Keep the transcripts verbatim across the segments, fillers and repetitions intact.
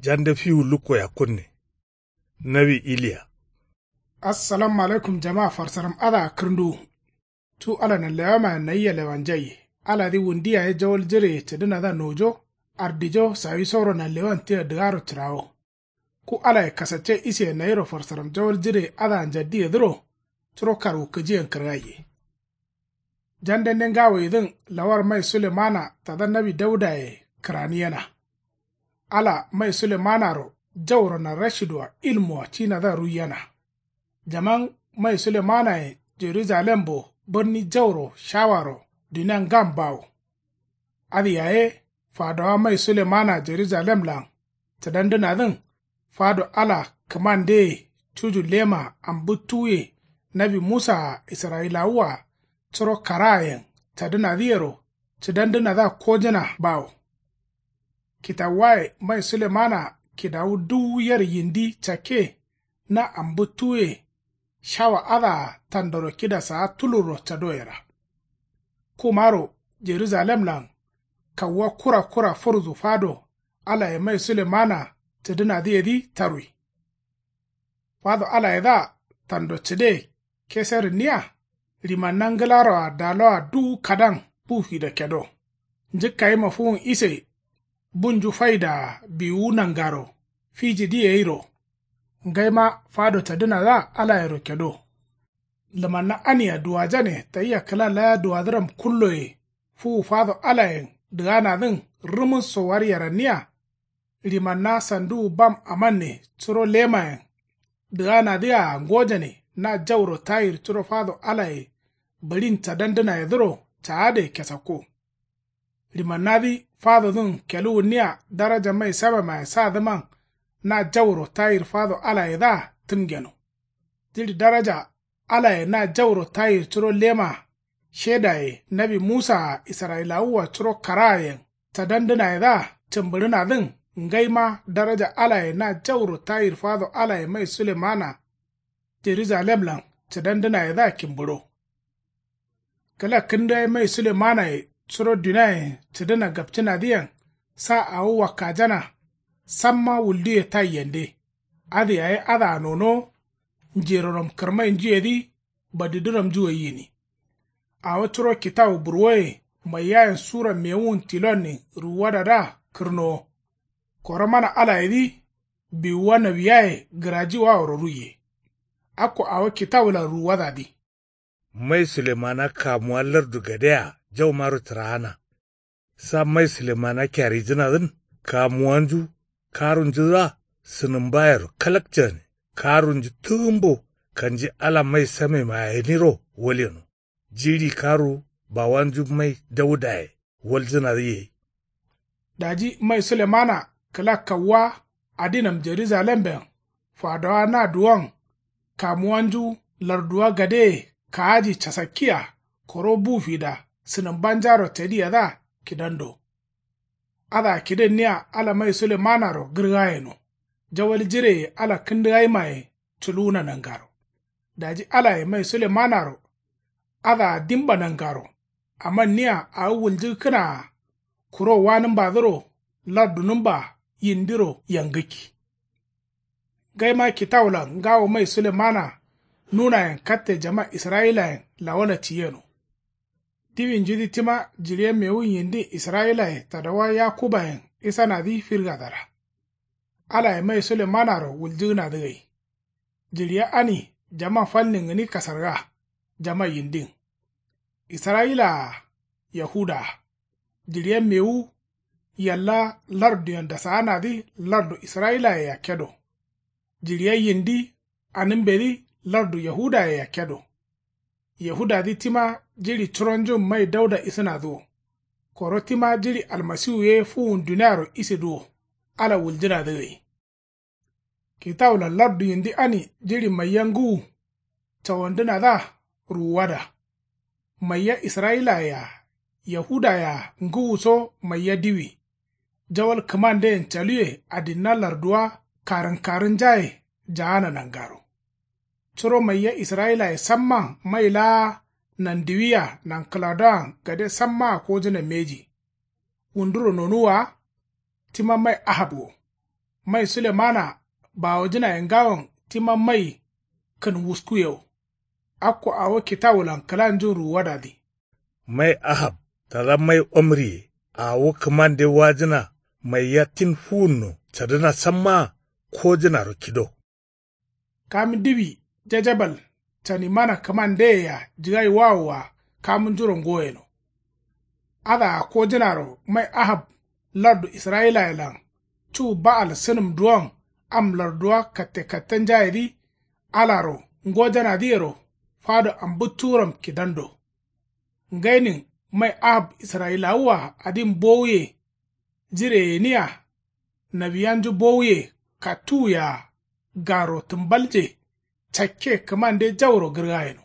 Jande fiwu lukko yakkunne. Nawi iliya. Assalamu alaikum jama farsaram adǝa kǝrnduwu. Cu ala nanlewamayen nayia lewanjaiye. Aladǝ wundi yaye jawal jireye cǝdǝnadǝa nojo. Ardijo sawisoro nanlewan tia dǝgaro cǝrawo. Ku alaye kasacce iseye nayiro farsaram jawal jireye adǝa njaddiyedǝro. Curo karwukǝjiyen kǝrgaiye. Jandende ngawoyedǝn lawar mai sulemana tada nawi daudaye kǝraniyena. Ala mai sulemanaro jauro narashidua ilmua cinadǝa ruiyena. Jaman mai sulemanayen jerujalembo bǝrni jauro shawaro dunian ngam bawo. Adǝ yaye fadowa mai sulemana jerujalemlan cǝdandǝnadǝn fado ala kǝmandeye cuju lema ambǝttuwuye nawi musaa israyilawua curo karaayen cadǝnadǝyero cǝdandǝnadǝa kojǝna bawo. Kitawuwaye mai sulemana kidawu duwu yer yindi cakke na ambǝttuwuye shawa adǝa tandoro kida saa tulurro cadoyera. Kumaro jerujalemlan kawuwa kura kura fǝrzu fado alaye mai sulemana cǝdǝnadǝyedǝ tarwi. Fado alayedǝa tando cǝde keserǝnniya. Rimanna ngǝlaroa daloa duwu kadan bu fido kedo. Njǝkkayima fuwun ise bunju faidaa biwuwu nangaro fijidǝ yeiro. Ngaima fado cadǝnadǝa alayero kedo. Lǝmanna ania duwajane tayia kǝla laya duwadǝram kulloye fuwu fado alayen dǝganadǝn rǝmǝsso waryeranniya. Rimanna sanduwu bam amanne curo lemayen dǝganadǝa ngojane na jauro tayir curo fado alaye bǝɍin cadandǝnayedǝro caade kesakko. Ɍimannadǝ fadodǝn keluwunniya daraja mai samemaye sadǝman na jauro tayir fado alayedǝa tǝmgeno. Jiɍi daraja alaye na jauro tayir curo lema shedaye nawi musaa israyilawua curo karaayen cadandǝnayedǝa cǝmbǝɍǝnadǝn ngaima daraja alaye na jauro tayir fado alaye mai sulemana jerujalemlan cǝdandǝnayedǝa kimbǝɍo. Kǝla kǝndugai mai sulemanaye curo duniayen cǝdǝna gapcǝnadǝyen sa awo wakkajana. Samma wulduye taiyende. Adǝ yaye adǝa nonowo. Njeroram kǝrmainjuyedǝ badidǝramnju gai gǝni. Awo curo kitawu burwoye maiyayen sura mewun tilonnin ruwuwadadǝa kǝrnowo. Koro mana alayedǝ biwuwa nawiyaye gǝrajiwaworo ruiye. Akko awo kitawulan ruwuwadadǝ. Mai sulemana kamuwa lardu gadea jaumaro cǝraana. Sa mai sulemana kyarijǝnadǝn kamuwanju karunjudǝa sǝnǝmbayero kalakcane. Karunju tǝgǝmbo kanji ala mai samemaye gǝniro walyeno. Jiɍi karu bawanju mai daudaye waljǝnadǝ gai. Daji mai sulemana kǝla kawuwa adinam jerujalemben fadowa na duwon kamuwanju larduwa gadeye kaaji casakkiya koro bu fida sǝnǝmbanjaro cadiyedǝa kidando. Adǝa kidǝnniya ala mai sulemanaro gǝrgayeno. Jawal jireye ala kǝndǝgaimaye culuwuna nangaro. Daji alaye mai sulemanaro adǝa dimba nangaro. Amanniya awo wuljǝkkǝnaa kuro wanǝmbadǝro lardunǝmba yindiro yangǝkki. Ngaima kitawulan ngawo mai sulemana nunayen katte jama israyilayen lawala ciyeno. Diwinjudǝ tima jiɍiya mewun yindin israyilaye tadawa yakubayen isanadǝ firgadara. Alaye mai sulemanaro wuljǝgǝnadǝ gai. Jiɍiya ani jama falnin gǝni kasarga. Jama yindin israyila-a yahuda-a. Jiɍiya mewu yalla larduyen dasaanadǝ lardu israyilaye yakkedo. Jiɍiya yindi anǝmbedǝ lardu yahudaye yakkedo. Yahudadǝ tima jiɍi curonjun mai dauda isǝnadǝ wo. Koro tima jiɍi almasiwu ye fuwun duniaro isidǝ wo. Ala wuljǝnadǝ gai. Kitawulan lardu yindi ani jiɍi maiya ngǝwu cawandǝnadǝa ruwuwada. Maiya israyilaye-a yahudaye-a ngǝwuso maiya diwi. Jawal kǝmandeyen caluwe adinna larduwa karǝnkarǝnjaye jaana nangaro. Curo maiya israyilaye samman mai laa nandiwiya nankǝladoan gade sammaa kojǝna mbeji. Wunduro nonuwwa wa tima mai ahab wo. Mai sulemana bawojǝnaye ngawon tima mai kǝn wuskuyewo. Akko awo kitawulan kǝlanjun ruwuwadadǝ. Mai ahab tada mai omriye awo kǝmande wajǝna. Maiya tin fuwunno cadǝna sammaa kojǝnaro kido. Kam diwi jejebel canimana kǝmandeyea jǝgai wawoa kamunjuro ngoyeno. Adǝa kojǝnaro mai ahab lardu israyilayelan cu ba'al sǝnǝm duwon am larduwa katte kattenjayedǝ alaro ngojanadǝyero fado ambǝttuwuram kidando. Ngainin mai ahab israyilawua adin bowuye. Jire gǝniya nawiyanju bowuye kattuwuya garo tǝmbalje cakke kǝmande jauro gǝrgayeno.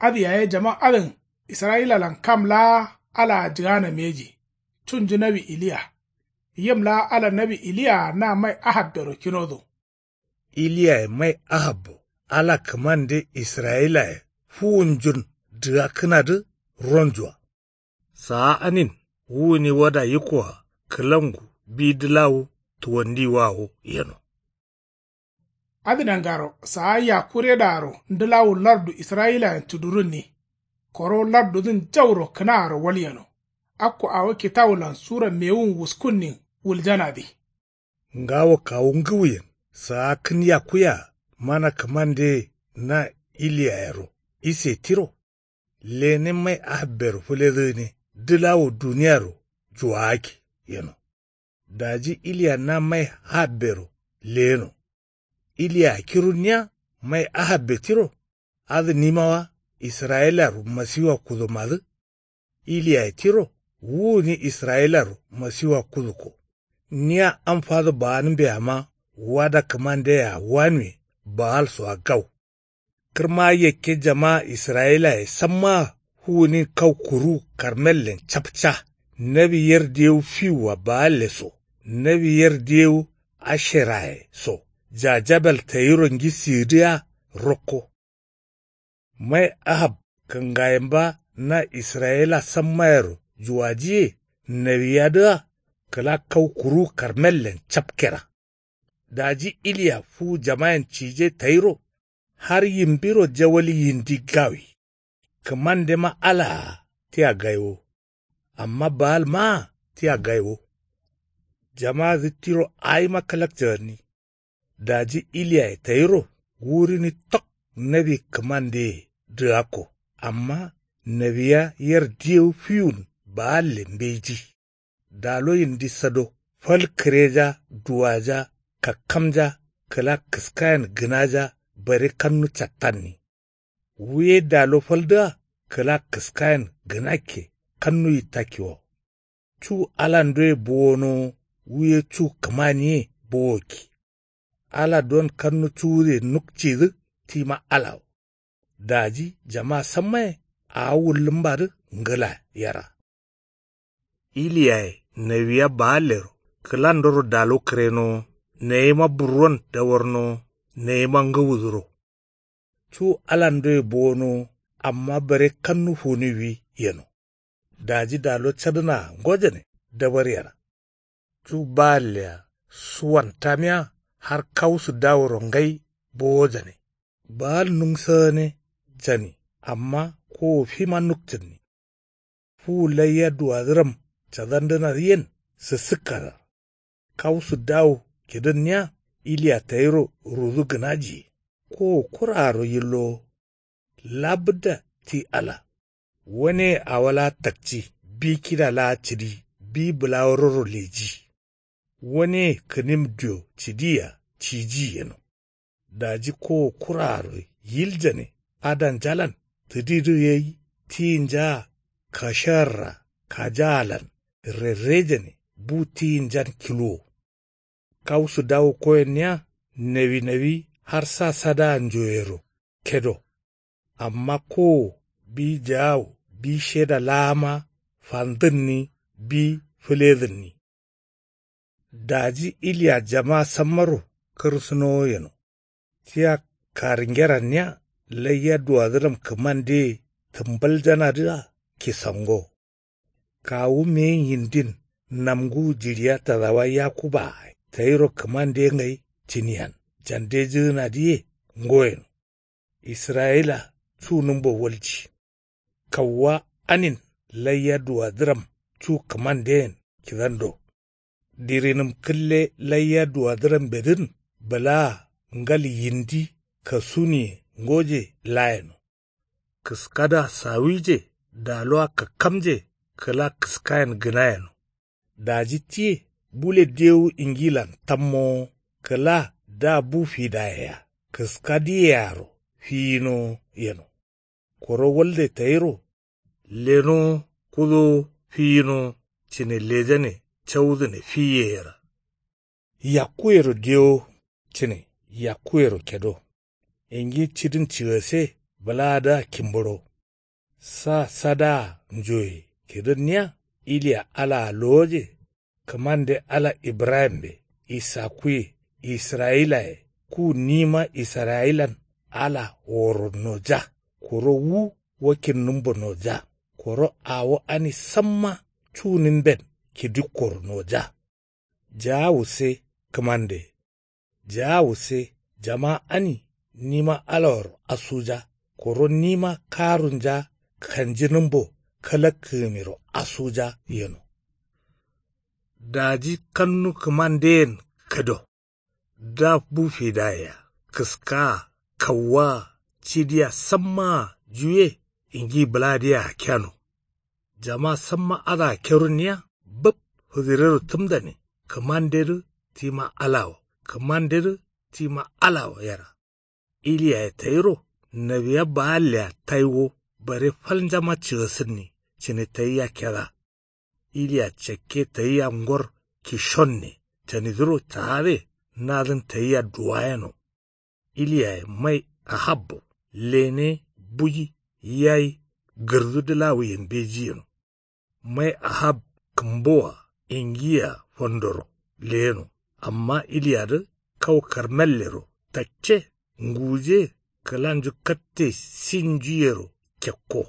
Adǝ yaye jaman adǝn israyilalan kam laa alaa jǝgana mbeji. Cunju nawi iliya yim laa ala nawi iliyaa na mai ahabbero kinodo. Iliyaye mai ahabbo ala kǝmande israyilaye fuwunjun dǝgakkǝnadǝ ronjua. Saa anin wu gǝni wada yikkoa kǝlangu bi dǝlawu tuwandiwawo yeno. Adǝ nangaro saa yakuredaro ndǝlawu lardu israyilayen cudurunni. Koro lardudǝn jauro kǝnaaro walyeno. Akko awo kitawulan sura mewun wuskunnin wuljanadǝ. Ngawo kawu ngǝwuyen saa kǝn yakkuyea mana kǝmandeye na iliyayero ise tiro. Lene mai ahabbero fǝledǝgǝne dǝlawo duniyaro juwagakki yeno. Daji iliya na mai ahabbero leyeno. Iliya kirunniya mai ahabbe tiro. Adǝ nimawa israyilaro masiwa kudomadǝ. Iliyaye tiro wu gǝni israyilaro masiwa kudukko. Niya am fado baanǝmbeyama wada kǝmandeyea wanuwe baalsoa gau. Kǝrma yakke jama israyilaye sammaa wu gǝnin kau kuru karmellen capca. Nawi yer diyewu fiwua baalle so nawi yer diyewu asheraye so jajabel tayiro ngisigǝdǝa rokko. Mai ahab kǝngayemba na israyila sammayero juwajiye nawiyadǝa kǝla kau kuru karmellen capkera. Daji iliya fuwu jamayen cije tayiro har yimbiro jawal yindi gawi. Kǝmandema alaa tia gaiwo. Amma baalmaa tia gaiwo. Jamadǝ tiro awima kǝlakcǝganni. Daji iliyaye tayiro wurini tok nawi kǝmandeye dǝgakko. Amma nawiya yer diyewu fiwun baalle mbeji. Dalo yindi sado fal kǝreja duwaja kakkamja kǝla kǝskayen gǝnaja bare kannu cattanni. Wuye dalo faldǝa kǝla kǝskayen gǝnakke kannu yittakkiwo. Cu alandoye bowonowo wuye cu kǝmaniye bowokki. Ala don kannu cuwude nukcidǝ tima alawo. Daji jama sammaye awo wullǝmbadǝ ngǝla yera. Iliyaye nawiya baallero kǝlandoro dalo kǝrenowo nayima burron dawarnowo nayima ngǝwudǝro. Cu alandoye bowonowo amma bare kannu funiwwi yeno. Daji dalo cadǝnaa ngojane dabar yera. Cu baallea suwan tamiya har kausu daworo ngai bowojane. Baal nungsagane jani amma kowo fima nukcǝnni. Fuwu laiya duwadǝram cadandǝnadǝ yen sǝssǝkkadar. Kausu dawu kidǝnniya iliya tayiro rudu gǝnajiye. Kowo kuraaro yillowo. Labǝdda ti ala. Waneye awo laa takci bi kida laa cǝdi bi bǝlawororo leji. Waneye kǝnim dio cidiya ciji yeno. Daji kowo kuraaro yiljane adanjalan tǝdidǝ gai tiyinjaa kasharra kajaalan rerrejane bu tiyinjan kiluwo. Kausu dawu koyenniya nawi nawi har sa sadaa njoyero kedo. Amma kowo bi jaawo bi sheda laama fandǝnni bi fǝledǝnni. Daji iliya jama sammaro kǝrsǝnowo yeno. Tia karingeranniya laiya duwadǝram kǝmandeye tǝmbaljanadǝa kisango. Kawu meyin yindin namnguwu jiɍiya tadawa yakubaa tayiro kǝmande ngai cǝniyan jandejǝgǝnadǝye. Ngoyeno israyila cu nǝmbo walji. Kauwa anin laiya duwadǝram cu kǝmanden kidando. Dirinǝm kǝlle laiya duwadǝrambedǝn bǝlaa ngal yindi kasuniye ngoje layeno. Kǝskada sawije daluwa kakkamje kǝla kǝskayen gǝnayeno. Daji tiye bule dewu ingilan tammowo kǝla da bu fidayea kǝskadǝyearo fiyinowo yeno. Koro walde tayiro lenowo kudowo fiyinowo cǝne lejane caudǝne fiyeyera. Yakkuyero dewo cǝne yakkuyero kedo. Ingi cidin cigase bǝlaadǝa kimburo. Sa sadaa njoye kidǝnniya iliya alaa lowoje. Kǝmande ala ibrahimbe isakkuye israyilaye ku nima israyilan ala woro noja. Koro wu wakkinnǝmbo noja. Koro awo ani samma cunǝmben kidikkoro noja. Jaawu se kǝmande. Jaawu se jama ani nima alaworo asuja. Koro nima karunja kanjinǝmbo kalakkǝgǝmiro asuja yeno. Daji kannu kǝmanden kǝdo. Da bu fidayea kǝskaa kauwaa cidiya sammaa juye ingi bǝladǝyea keno. Jama samma adǝa kerunniya bǝb fǝzǝrero tǝmdane. Kǝmandedǝ tima alawo kǝmandedǝ tima alawo yera. Iliyaye tayiro nawiya baallea taiwo bare falnjama cigasǝnni cǝne tayia keda. Iliya cakke tayia ngor kishonne canidǝro caade nadǝn tayia duwayeno. Iliyaye mai ahabbo lene buji yayi gǝrdu dǝlawuye mbeji yeno. Mai ahab kǝmboa ingiya fandoro leyeno. Amma iliyadǝ kau karmellero takke nguje kǝlanju katte sinjuyero kekko.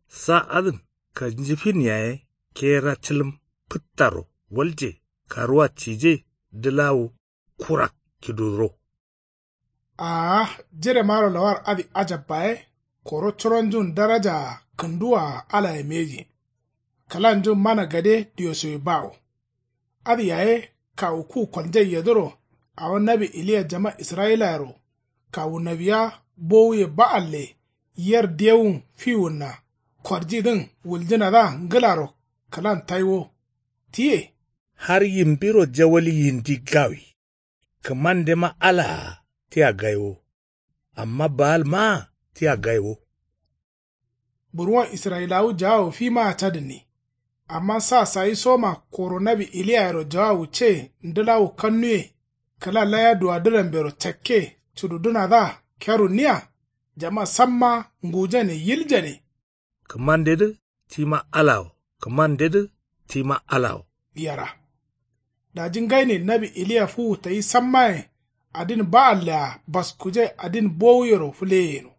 Sa adǝn kanjifin yaye kera cǝlǝm fǝttaro walje karuwa cije dǝlawu kurak kiduro. Aa jiremaro lawar adǝ ajabba ye. Koro curonjun darajaa kǝnduwaa alaye mbeji. Kǝlanjun mana gade diyosoye bawo. Adǝ yaye kawu ku koljai yedǝro awo nawi iliya jama israyilayero kawu nawiya bowuye ba'alle yer dewun fiwunna korjidǝn wuljǝnadǝa ngǝlaro kǝlan taiwo. Tiye har yimbiro jawal yindi gawi. Kǝmandema alaa tia gaiwo. Amma baalmaa tia gaiwo. Burwon israyilawu jaawo fimaa cadǝnni. Amma sa sayisoma koro nawi iliyayero jaawu ce ndǝlawu kannuye kǝla laya duwadǝrambero cakke cududǝnadǝa kerunniya. Jama samma ngujane yiljane. Kǝmandedǝ tima alawo kǝmandedǝ tima alawo. Yera. Daji ngainin nawi iliya fuwu tayi sammayen adin ba'allea baskujai adin bowuyero fǝleyeno.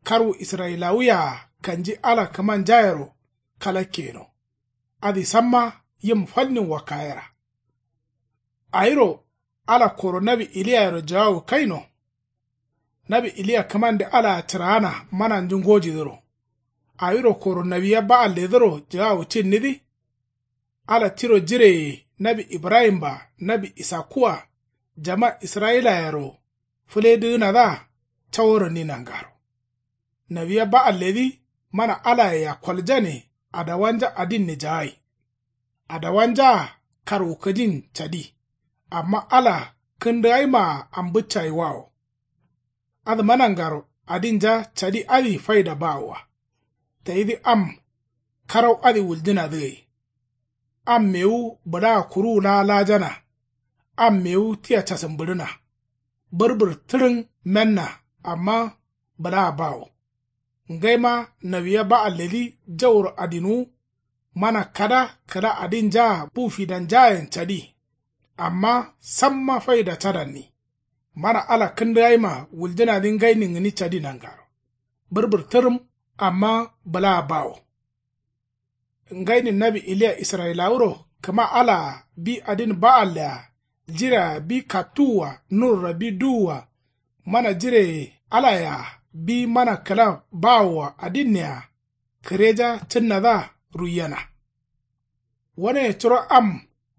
Karwu israyilawuyea kanji ala kǝmanjayero kalakke yeno. Adǝ samma yim falnin wakkayera. Awiro ala koro nawi iliyayero jawawu kaino. Nawi iliya kǝmande alaa cǝraana mananju ngojidǝro. Awiro koro nawiya ba'alledǝro jawawu cinnidǝ. Ala tiro jireye nawi ibrahim-a nawi isakkua jama israyilayero fǝledǝgǝnadǝa caworonni nangaro. Nawiya ba'alledǝ mana alayea koljane adawanja adinne jawai. Adawanjaa karwukǝjin cadi. Amma ala kǝndǝgaimaa ambǝccayiwawo. Adǝma nangaro adinja cadi adǝ faida bawoa. Tayidǝ am karau adǝ wuljǝnadǝ gai. Am mewu bǝlaa kuruwu laa lajana. Am mewu tia casǝmbǝɍǝna. Bǝrbǝr tǝɍǝn menna amma bǝlaa bawo. Ngaima nawiya ba'alledǝ jauro adinwu. Mana kada kǝla adinjaa bu fidanjayen cadi. Amma samma faida cadanni. Mana ala kǝndǝgaima wuljǝnadǝ ngainin gǝni cadi nangaro. Bǝrbǝr tǝrǝm amma bǝlaa bawo. Ngainin nawi iliya israyilawuro kǝma alaa bi adin ba'allea jirea bi kattuwwa nurora bi duwwa mana jireye alayea bi mana kǝla bawoa adinneya kǝreja cǝnnadǝa ruiyena. Waneye curo am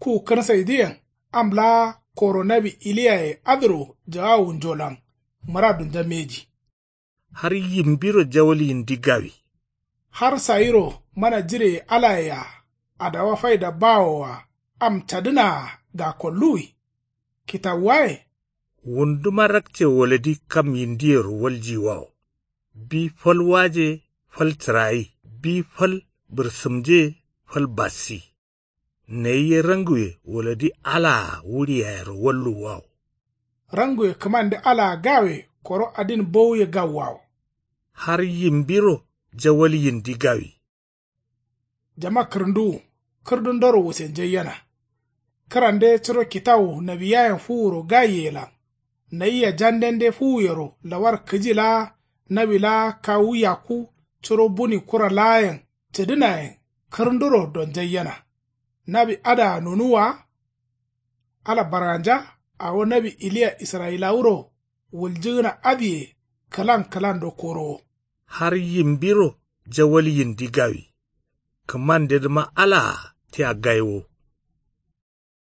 ku kǝrsaidǝyen am laa koro nawi iliyaye adǝro jagawunjolan mǝradunja mbeji. Har yimbiro jawal yindi gawi. Har sayiro mana jireye alayea adawa faida bawoa am cadǝnaa gakolluwi. Kitawuwaye. Wunduma rakce wolodi kam yindiyero waljiyiwawo. Bi fal waje fal cǝrayi bi fal bǝrsǝmje fal bassi. Nayi ye ranguwe wolodi alaa wuri yayero walluwwawo. Ranguwe kǝmande alaa gawe koro adin bowuye gawwawo. Har yimbiro jawal yindi gawi. Jama kǝrǝnduwu kǝrdundoro wusenjaiyena. Kǝrande curo kitawu nawiyayen fuwuro gaiyelan. Nayia jandende fuwuyero lawar kǝji laa nawi laa kawu yakku curo buni kura laayen cǝdǝnayen kǝrǝnduro donjaiyena. Nawi adǝa nonuwwa wa. Ala barganja awo nawi iliya israyilawuro wuljǝgǝna adǝye kǝlan kǝlando korowo. Har yimbiro jawal yindi gawi. Kǝmandedǝma alaa tia gaiwo.